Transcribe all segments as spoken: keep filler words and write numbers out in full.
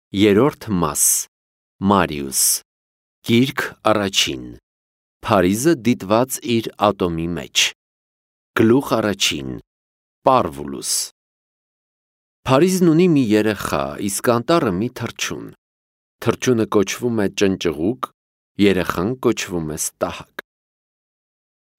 Երրորդ մաս Մարիուս Գիրք առաջին Փարիզը դիտված իր ատոմի մեջ Գլուխ առաջին Պարվուլուս Փարիզն ունի մի երեխա, իսկ անտառը մի թռչուն։ Թռչունը կոչվում է ճնճղուկ, երեխան կոչվում է ստահակ։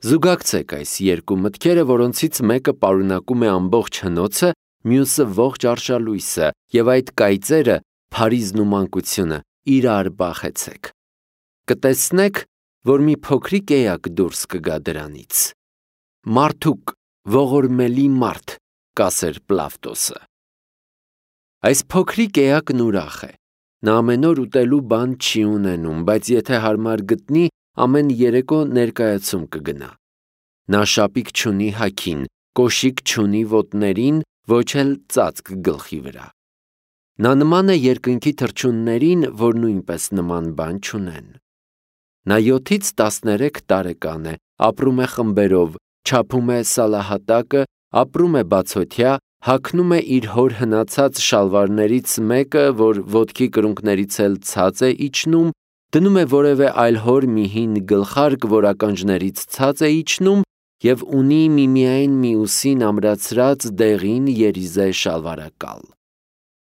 Զուգակցեք այս երկու մտքերը, որոնցից մեկը պարունակում է ամբողջ հնոցը, մյուսը ողջ արշալույսը, եւ այդ կայծերը Փարիզն ու մանկությունը իրար բախեցեք։ Կտեսնեք, որ մի փոքրիկ էակ դուրս կգա դրանից։ Մարդուկ, ողորմելի մարդ, կասեր Պլավտոսը։ Այս փոքրիկ էակն ուրախ է։ Նա ամեն օր ուտելու բան չի ունենում, բայց եթե հարմար գտնի, ամեն երեկո ներկայացում կգնա։ Նա շապիկ չունի հագին, կոշիկ չունի ոտներին, ոչ էլ ծածկ գլխի վրա։ Նա նման է երկնքի թռչուններին, որ նույնպես նման բան չունեն։ Նա յոթից տասներեք տարեկան է, ապրում է խմբերով, չափում է սալահատակը, ապրում է բացօթյա, հագնում է իր հոր հնացած շալվարներից մեկը, որ ոտքի կրունկներից էլ ցած է իջնում, դնում է որևէ այլ հոր մի հին գլխարկ, որ ականջներից ցած է իջնում, և ունի միմիայն մյուսին ամրացրած դեղին երիզե շալվարակալ։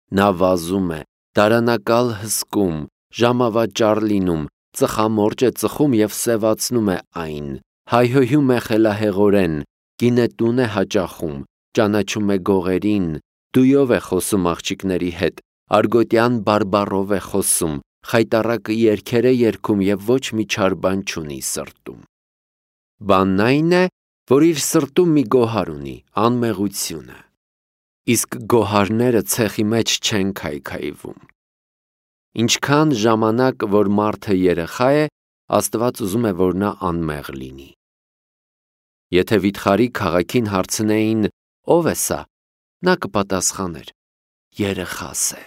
Նա վազում է, դարանակալ հսկում, ժամավաճառ լինում, ծխամորճ է ծխում և սևացնում է այն, հայհոյում է խելահեղորեն, գինետուն է հաճախում, ճանաչում է գողերին, դույով է խոսում աղջիկների հետ, արգոտյան բարբառով է խոսում, խայտառակ երգեր է երգում և ոչ մի չար բան չունի սրտում։ Բանն այն է, որ իր սրտում մի գոհար ունի, անմեղությունը։ Իսկ գոհարները ցեխի մեջ չեն քայքայվում։ Ինչքան ժամանակ, որ մարդը երեխա է, Աստված ուզում է, որ նա անմեղ լինի։ Եթե վիթխարի քաղաքին հարցնեին, ո՞վ է սա, նա կպատասխաներ. երեխաս է։